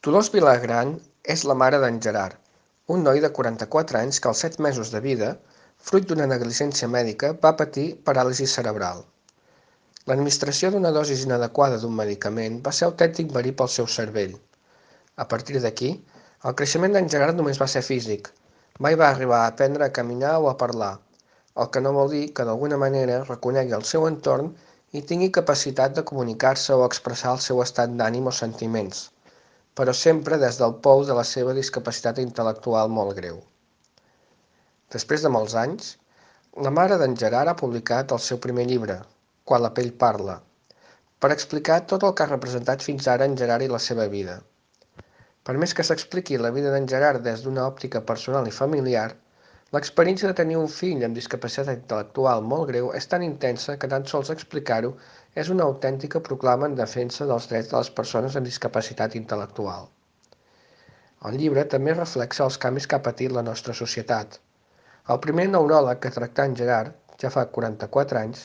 Dolors Vilagran és la mare d'en Gerard, un noi de 44 anys que als 7 mesos de vida, fruit d'una negligència mèdica, va patir paràlisi cerebral. L'administració d'una dosi inadequada d'un medicament va ser autèntic verí pel seu cervell. A partir d'aquí, el creixement d'en Gerard només va ser físic. Mai va arribar a aprendre a caminar o a parlar, el que no vol dir que d'alguna manera reconegui el seu entorn i tingui capacitat de comunicar-se o expressar el seu estat d'ànim o sentiments, però sempre des del pou de la seva discapacitat intel·lectual molt greu. Després de molts anys, la mare d'en Gerard ha publicat el seu primer llibre, Quan la pell parla, per explicar tot el que ha representat fins ara en Gerard i la seva vida. Per més que s'expliqui la vida d'en Gerard des d'una òptica personal i familiar, l'experiència de tenir un fill amb discapacitat intel·lectual molt greu és tan intensa que tan sols explicar-ho és una autèntica proclama en defensa dels drets de les persones amb discapacitat intel·lectual. El llibre també reflexa els canvis que ha patit la nostra societat. El primer neuròleg que tractà en Gerard, ja fa 44 anys,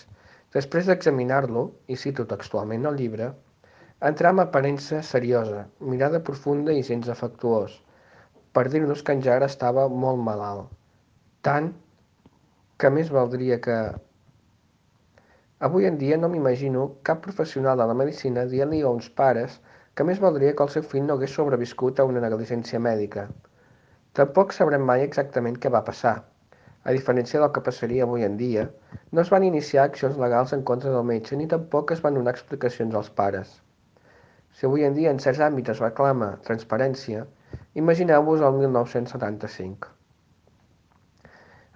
després d'examinar-lo, i cito textualment el llibre, entrà amb aparença seriosa, mirada profunda i gens afectuós, per dir-nos que en Gerard estava molt malalt. Tant que més valdria que... Avui en dia no m'imagino cap professional de la medicina dient-li a uns pares que més valdria que el seu fill no hagués sobreviscut a una negligència mèdica. Tampoc sabrem mai exactament què va passar. A diferència del que passaria avui en dia, no es van iniciar accions legals en contra del metge ni tampoc es van donar explicacions als pares. Si avui en dia en certs àmbits es reclama transparència, imagineu-vos el 1975.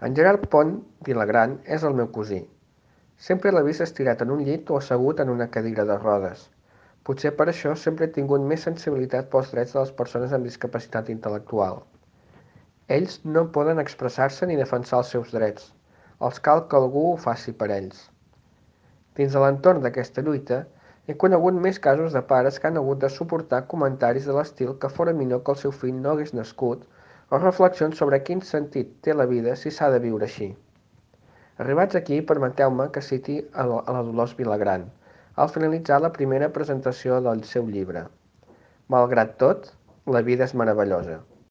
En Gerard Pont Vilagran és el meu cosí. Sempre l'he vist estirat en un llit o assegut en una cadira de rodes. Potser per això sempre he tingut més sensibilitat pels drets de les persones amb discapacitat intel·lectual. Ells no poden expressar-se ni defensar els seus drets. Els cal que algú ho faci per ells. Dins de l'entorn d'aquesta lluita, he conegut més casos de pares que han hagut de suportar comentaris de l'estil que fora millor que el seu fill no hagués nascut o reflexions sobre quin sentit té la vida si s'ha de viure així. Arribats aquí, permeteu-me que citi a la Dolors Vilagran, al finalitzar la primera presentació del seu llibre. Malgrat tot, la vida és meravellosa.